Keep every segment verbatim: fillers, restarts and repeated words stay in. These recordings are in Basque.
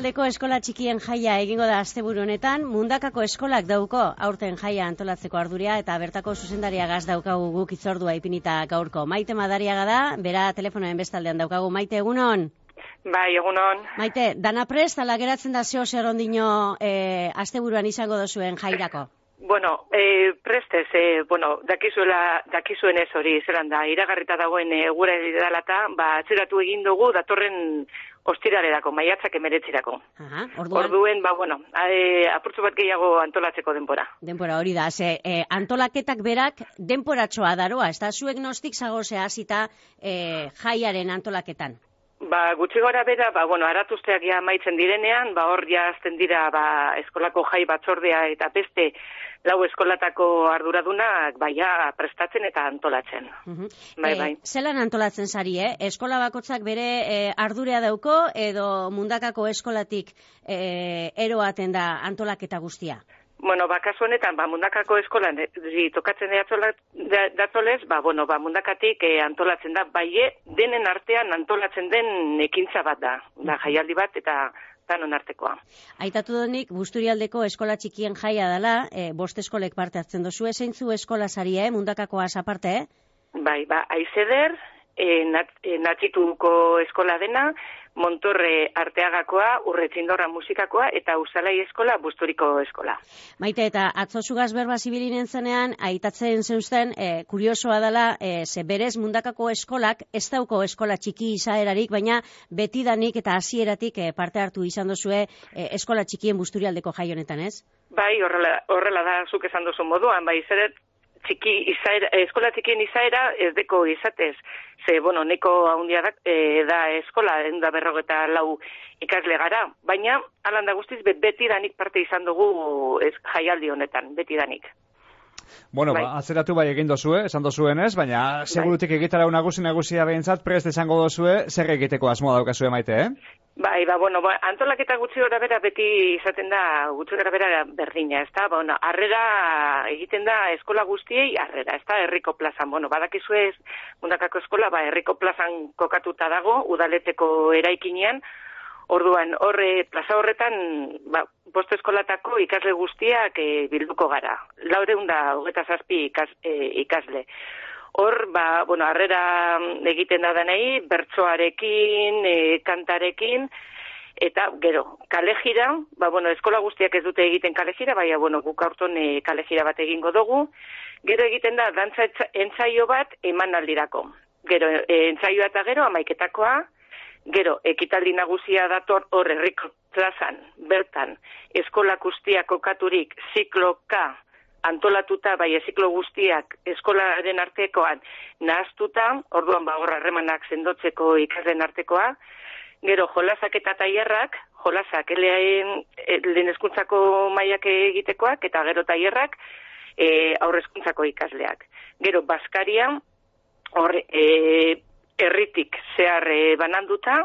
Busturialdeko eskola txikien jaia egingo da asteburu honetan, Mundakako eskolak dauko aurten jaia antolatzeko arduria eta bertako zuzendaria gaz daukagu guk itzordua ipinita gaurko. Maite Madariaga da, bera telefonoen bestaldean daukagu. Maite, egunon? Bai, egunon. Maite, dana prest, ala geratzen da zeo zer ondino e, asteburuan izango dozuen jairako? Bueno, eh, prestez, eh, bueno, dakizuela, dakizuen ez hori, zelan da, iragarrita dagoen e, gure edalata, ba, atzeratu egin dugu datorren ostiralerako, maiatzak emeretzirako. Aha, orduan. Orduen, ba, bueno, e, apurtzu bat gehiago antolatzeko denbora. Denbora hori da, ze, e, antolaketak berak denporatxoa daroa, ez da zuek nostik zagozea hasita e, jaiaren antolaketan? Ba, gutxi gora bera, ba, bueno, aratuzteak ja maitzen direnean, ba, hor ja azten dira, ba, eskolako jai batzordea eta beste lau eskolatako arduradunak, ba, ja, prestatzen eta antolatzen. Uh-huh. Bai, e, bai. Zelan antolatzen zari, eh? Eskola bakotzak bere e, ardurea dauko, edo Mundakako eskolatik e, eroaten da antolaketa guztia? Bueno, ba, kasu honetan, ba, Mundakako eskolan e, tokatzen datzolez, ba, bueno, ba, Mundakatik e, antolatzen da, bai, denen artean antolatzen den ekintza bat da, da jaialdi bat eta danon artekoa. Aitatu donik, Busturialdeko eskola txikien jaia dela, e, bost eskolek parte hartzen dozu, zeintzu eskola zarie, eh? Mundakakoaz aparte, eh? Bai, ba, Aizeder, e, nat, e, Natxituko eskola dena, Montorre Arteagakoa, Urretzindorra musikakoa eta Usalai eskola, Busturiko eskola. Maite, eta atzo zugaz berba zibilinen zenean, aitatzen zeuzten, e, kuriosoa dela, e, ze berez Mundakako eskolak ez dauko eskola txiki izaerarik, baina betidanik eta hasieratik e, parte hartu izan dozue e, eskola txikien Busturialdeko jai honetan, ez? Bai, horrela, horrela da zuk esan duzu moduan, bai, zeret, txiki izaera, eskola txikien izaera ez deko izatez, ze, bueno, neko haundia da, e, da eskola, enda berrogeta lau ikasle gara, baina, alanda guztiz, bet, betidanik parte izan dugu ez, jaialdi honetan, betidanik. Bueno, bai. Ba, atzeratu bai egin dozue, esan dozuen ez, baina segurutik bai. Egitara nagusi nagusia behintzat, prest esango dozue, zer egiteko asmoa daukazue, Maite, eh? Bai, ba, bueno, ba, antolaketa gutxi gora bera beti izaten da, gutxi gora bera berdina, ez da? Ba, bueno, arrera egiten da eskola guztiei arrera, ez da? Herriko plazan, bueno, badakizu ez, Mundakako eskola, ba, herriko plazan kokatuta dago, udaleteko eraikinean, orduan, horre, plaza horretan, ba, bost eskolatako ikasle guztiak e, bilduko gara. Laureun da, hogeta zazpi ikas, e, ikasle. Hor, ba, bueno, harrera egiten da denei, bertsoarekin, e, kantarekin, eta, gero, kalejira, ba, bueno, eskola guztiak ez dute egiten kalejira, baina, bueno, guk aurton e, kalejira bat egingo dugu. Gero egiten da, dantza entzaio bat emanaldirako. Gero, e, entzaioa eta gero, amaiketakoa, gero, ekitaldi nagusia dator hor herriko plazan, bertan, eskola guztiak kokaturik, zikloka, antolatuta, bai, ziklo guztiak eskolaren artekoan nahaztuta, orduan ba horra harremanak sendotzeko ikasleen artekoa, gero jolasak eta tailerrak, jolasak lehen hezkuntzako mailak egitekoak, eta gero tailerrak e, aurrezkuntzako ikasleak. Gero baskaria, hor, e, herritik zehar e, bananduta,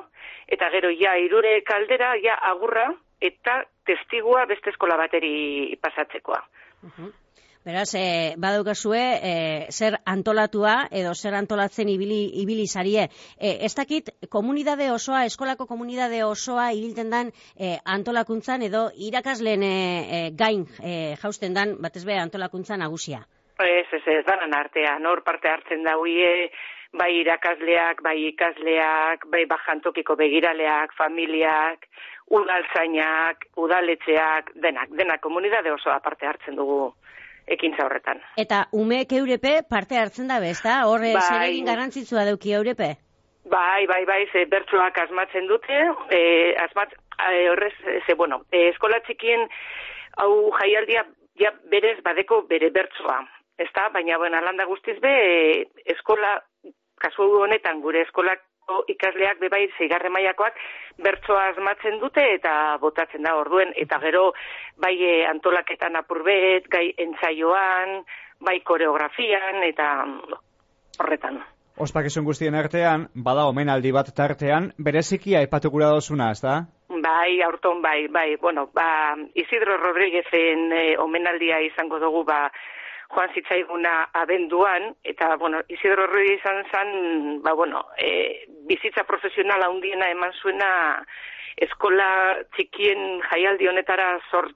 eta gero ja irure kaldera, ja agurra, eta testigua beste eskola bateri pasatzekoa. Uh-huh. Beraz, eh, badaukazue, eh, zer antolatua edo zer antolatzen ibili, ibili zarie. Eh, ez dakit, komunidade osoa, eskolako komunidade osoa ibilten dan eh, antolakuntzan edo irakasleen eh, gain eh, jausten dan, batez be, antolakuntza nagusia. Ez, ez, ez, danan artean, hor parte hartzen da huie, bai irakasleak, bai ikasleak, bai bajantokiko begiraleak, familiak, udaltzainak, udaletxeak, denak, denak komunidade osoa parte hartzen dugu ekintza horretan. Eta umeek eurepe parte hartzen da bezta, horre bai. Zer egin garrantzitsua dauki eurepe? Bai, bai, bai, ze bertsoak asmatzen dute, e, asmat, e, horrez, ze, bueno, e, eskola txikien hau jaialdia ja berez badeko bere bertsoa, ez da? Baina, bueno, alanda guztiz be, e, eskola, kasu honetan gure eskolak ikasleak bebai zeigarren mailakoak bertsoa asmatzen dute eta botatzen da orduen, eta gero bai antolaketan apurbet, gai entzaioan, bai koreografian eta horretan. Ospakizun guztien artean, bada omenaldi bat tartean, bereziki aipatu gura dozuna, ez da? Bai, aurton bai, bai, bueno, ba, Isidro Rodríguezen eh, omenaldia izango dugu, ba, joan zitzaiguna abenduan, eta, bueno, Isidro Ruiz izan zen, ba, bueno, e, bizitza profesionala handiena eman zuena eskola txikien jaialdi honetara zor,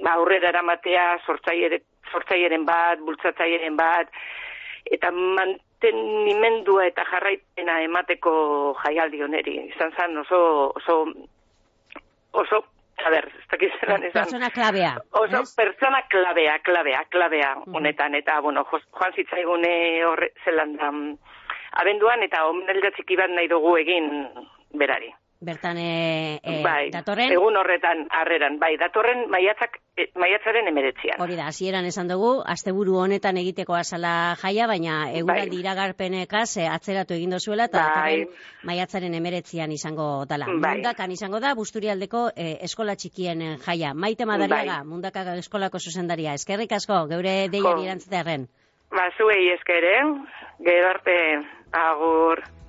ba, aurrera eramatea, sortzaieren bat, bultzatzaieren bat, eta mantenimendua eta jarraipena emateko jaialdi honeri. Izan zen oso, oso, oso, a ber, ez dakit zelan esan. Persona klabea. Oso, es? persona klabea, klabea, klabea uh-huh. honetan, eta, bueno, joan zitzaigune horre zelan da, abenduan, eta omenaldia txiki bat nahi dugu egin berari. Bertan, e, e, bai, datorren? Egun horretan, harreran, bai, datorren maiatzak, e, maiatzaren emeretzian. Hori da, hasieran esan dugu, asteburu honetan egiteko azala jaia, baina eguraldi bai. iragarpenekaz e, atzeratu egin dozuela, eta bai. datorren maiatzaren emeretzian izango dala. Bai. Mundakan izango da, Busturialdeko e, eskola txikien jaia. Maite Madariaga, bai. Mundaka eskolako zuzendaria. Eskerrik asko, geure deiari erantzutearen. Ba, zuei esker, eh? Gero arte, agur.